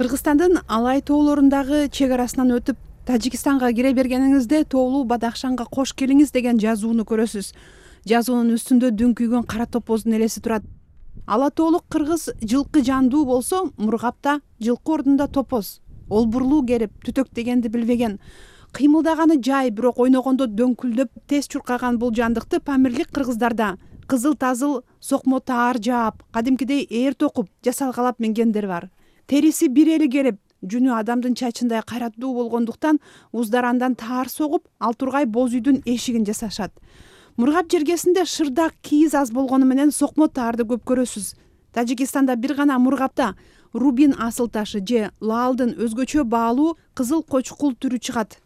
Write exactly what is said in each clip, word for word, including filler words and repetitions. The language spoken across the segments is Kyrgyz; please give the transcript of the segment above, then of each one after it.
Кыргызстандын Алай тоолорундагы чек арасынан өтүп Тажикстанга кире бергениңизде тоолуу Бадахшанга кош келиңиз деген жазууну көрөсүз. Жазуунун үстүндө дүңкүйгөн кара топоздун элеси турат. Ала тоолук кыргыз жылкы жандуу болсо, Мургапта жылкы ордунда топоз. Ол бурлуу керип, түтөктөгенди билбеген. Кыймылдаганы жай, бирок ойногондо дөңкүлдөп, тез чуркаган бул жандыкты памирлик кыргыздарда кызыл тазыл, сокмо таар жаап, кадимкидей ээр токуп, жасалгалап мингендер бар. Териси бир эли керип, жүнү адамдын чачындай кайраттуу болгондуктан уздар андан таар согуп, ал тургай боз үйдүн эшигин жасашат. Мургап жергесинде шырдак, кийиз аз болгону менен сокмо таарды көп көрөсүз. Тажикстанда бир гана Мургапта рубин асыл ташы же лаалдын өзгөчө баалуу кызыл кочкул түрү чыгат.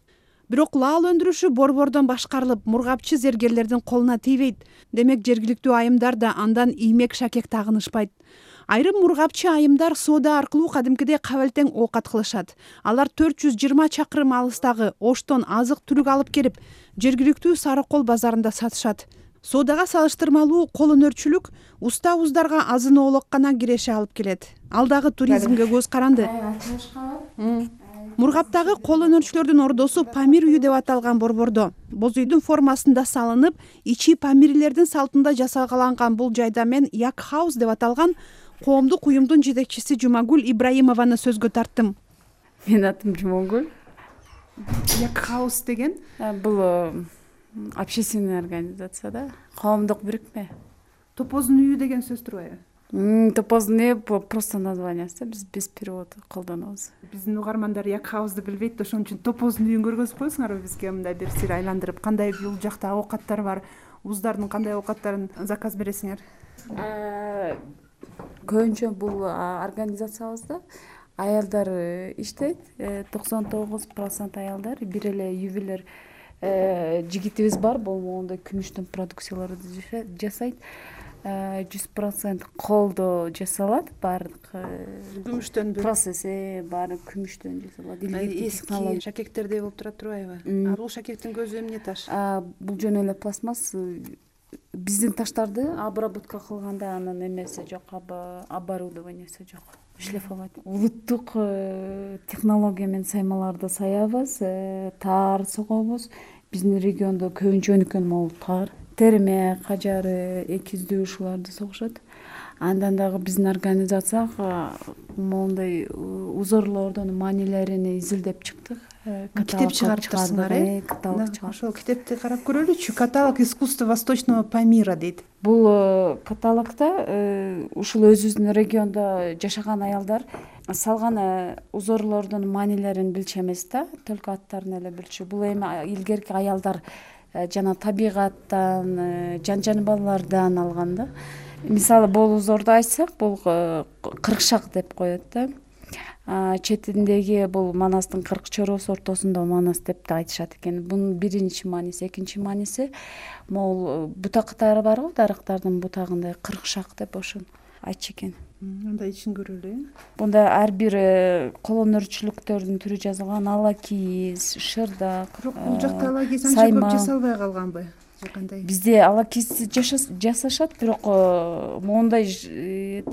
Бирок лаал өндүрүшү борбордон башкарылып, мургапчы зергерлердин колуна тийбейт. Демек жергиликтүү айымдар да андан иймек шакек тагынышпайт. Айрым мургапчы айымдар соода аркылуу кадимкидей кабелтең оокат кылышат. Алар төрт жүз жыйырма чакырым алыстагы Оштон азык-түлүк алып келип, жергиликтүү Сарыкол базарында сатышат. Соодага салыштырмалуу кол өнөрчүлүк уста уздарга азын оолок гана киреше алып келет. Ал дагы туризмге көз каранды. Мургаптагы кол өнөрчүлөрдүн ордосу Памир үйү деп аталган борбордо. Боз үйдүн формасында салынып, ичи памирлердин салтында жасалгаланган бул жайда мен Як хаус деп аталган коомдук уюмдун жетекчиси Жумагүл Ибраимованы сөзгө тарттым. Менин атым Жумагүл. Як хаус деген бул общественный организация да, коомдук бирикме. Топоздун үйү деген сөз турбайбы? Топоздун үйү просто названиясы, биз без перевода колдонобуз. Биздин угармандар Як хаусты билбейт, ошон үчүн топоздун үйүн көргөзүп коесуңарбы бизге мындай бир сир айландырып, кандай бул жакта оокаттар бар, уздардын кандай оокаттарын заказ бересиңер? Көбүнчө бул организациябызда аялдар иштейт, токсон тогуз процент аялдар, бир эле ювелир жигитибиз бар, бул моундай күмүштөн продукцияларды жасайт. жүз процент колдо жасалат, баардык күмүштөн процесси баары күмүштөн жасалат. Эски шакектердей болуп турат турбайбы? А бул шакектин көзү эмне таш? Бул жөн эле пластмасс. Биздин таштарды обработка кылганда анын эмеси жок, оборудованиясы жок. Шлифовать. Улуттук технология менен саймаларды саябыз, таар согобуз. Биздин региондо көбүнчө өнүккөн могул таар, терме, кажары, экиздүү ушуларды согушат. Андан дагы биздин организацияга моундай узорлордун маанилерин изилдеп чыктык. Китеп чыгарыптырсыңар, э? Каталог чыгар. Ошол китепти карап көрөлүчү. Каталог искусства Восточного Памира дейт. Бул каталогда ушул өзүбүздүн региондо жашаган аялдар салган узорлордун маанилерин билчү эмес да, только аттарын эле билчү. Бул эми илгерки аялдар жана табигаттан, жан жаныбарлардан алган да. Мисалы, бул узорду айтсак, бул кыркшак деп коет да. Четиндеги бул Манастын кырк чороосу ортосунда Манас деп да айтышат экен. Бунун биринчи мааниси, экинчи мааниси могул бутактары барбы, дарыктардын бутагындай кыркшак деп ошон айтчу экен. Анда ичин көрөлү. Бунда ар бир кол өнөрчүлүктөрдүн түрү жазылган, ала кийиз, шырдак. Бирок бул жакта ала кийиз анча көп жасалбай калганбы? Бизде ала кийиз жасашат, бирок моундай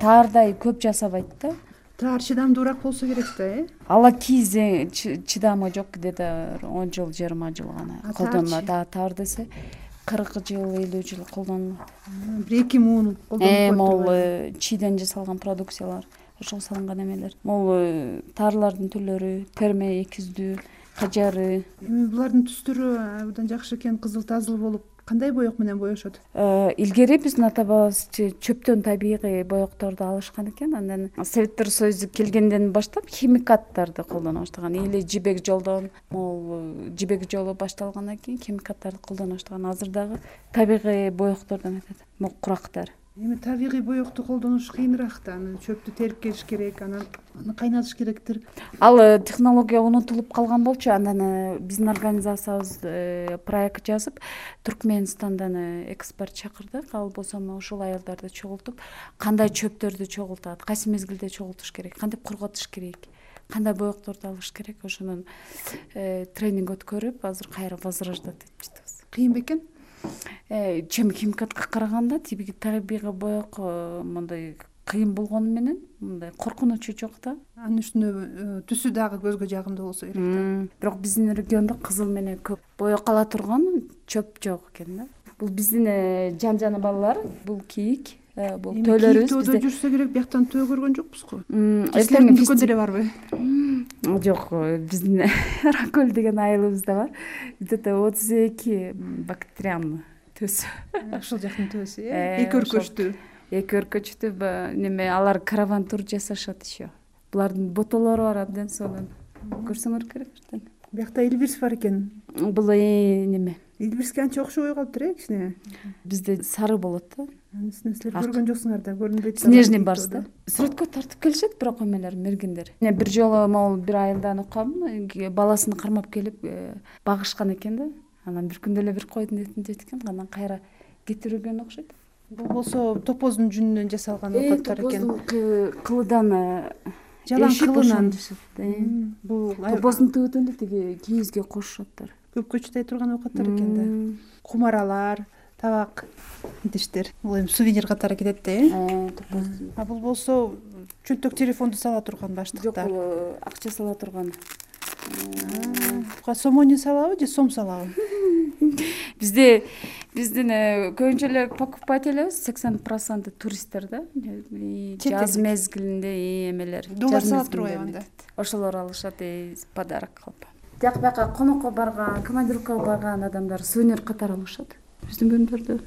таардай көп жасабайт да. Таар чыдамдуураак болсо керек да, э? Ала кийиздин чыдамы жок, где-то он жыл, жыйырма жыл гана колдонулат. Да, таар десе кырк жыл, элүү жыл колдонулат. бир эки муун колдонулат. Могул чийден жасалган продукциялар, ошого салынган эмелер. Могул таарлардын түрлөрү, терме, экиздүү, кажары. Эми булардын түстөрү абдан жакшы экен, кызыл тазыл болуп, кандай боек менен боешот? Илгери биздин ата бабабыз чөптөн табигый боекторду алышкан экен. Андан Советтер Союзу келгенден баштап химикаттарды колдоно баштаган. Или жибек жолдон, могул жибек жолу башталгандан кийин химикаттарды колдоно баштаган. Азыр дагы табигый боектордон өтөт. Могул курактар. Эми табигый боекту колдонуш кыйыныраак да. Аны чөптү терип келиш керек, аны кайнатыш керектир. Ал технология унутулуп калган болчу. Андан биздин организациябыз проект жазып, Түркменистандан эксперт чакырдык. Ал болсо ушул аялдарды чогултуп, кандай чөптөрдү чогултат, кайсы мезгилде чогултуш керек, кантип кургатыш керек, кандай боекторду алыш керек, ошонун тренинг өткөрүп, азыр кайра возрождать этип жатабыз. Кыйын бекен? Чем химикатка караганда табигый боек мындай кыйын болгону менен мындай коркунучу жок да. Анын үстүнө түсү дагы көзгө жагымдуу болсо керек да. Бирок биздин региондо кызыл менен көп боекала турган чөп жок экен да. Бул биздин жан жана балалар, бул кийик, бул төлөрүбүз. Бизде жүрсө керек, бияктан төө көргөн жокпузго. Эртең дүкөндө эле барбы? Жок, биздин Ракөл деген айылыбызда бар. Где-то отуз эки бактериан төсү. Ошол жактын төсү, э? Эки өркөчтүү. Эки өркөчтүү неме, алар караван тур жасашат еще. Булардын ботолору бар, абдан сонун. Көрсөңөр керек эртең. Биякта Элбирс бар экен. Бул неме? Элбирске анча окшобой калыптыр, э, кичине. Бизде сары болот да. Анын силер көргөн жоксуңар да, көрүнбөйт. Снежный барс да. Сүрөткө тартып келишет, бирок эмелер, мергендер. Мен бир жолу могул бир айылдан уккам, баласын кармап келип багышкан экен да. Анан бир күндө эле бир койдун этин жейт экен, анан кайра кетирген окшойт. Бул болсо топоздун жүнүнөн жасалган оокаттар экен. Топоздун кылыдан, жалаң кылынан. Бул топоздун түбүтүндө тиги кийизге кошушаттар. Көпкө чыдай турган оокаттар экен да. Кумаралар, табак идиштер. Бул эми сувенир катары кетет да, э? А бул болсо чөнтөк телефонду сала турган баштыктар. Жок, бул акча сала турган. Буга сом не салабы же сом салабы? Бизде биздин көбүнчө эле покупателибиз сексен проценти туристтер да. Жаз мезгилинде эмелер. Доллар сала турбайбы анда? Ошолор алышат подарок кылып. Жак бияка конокко барган, командировкага барган адамдар сувенир катары алышат. Биздин бөлмөлөрдө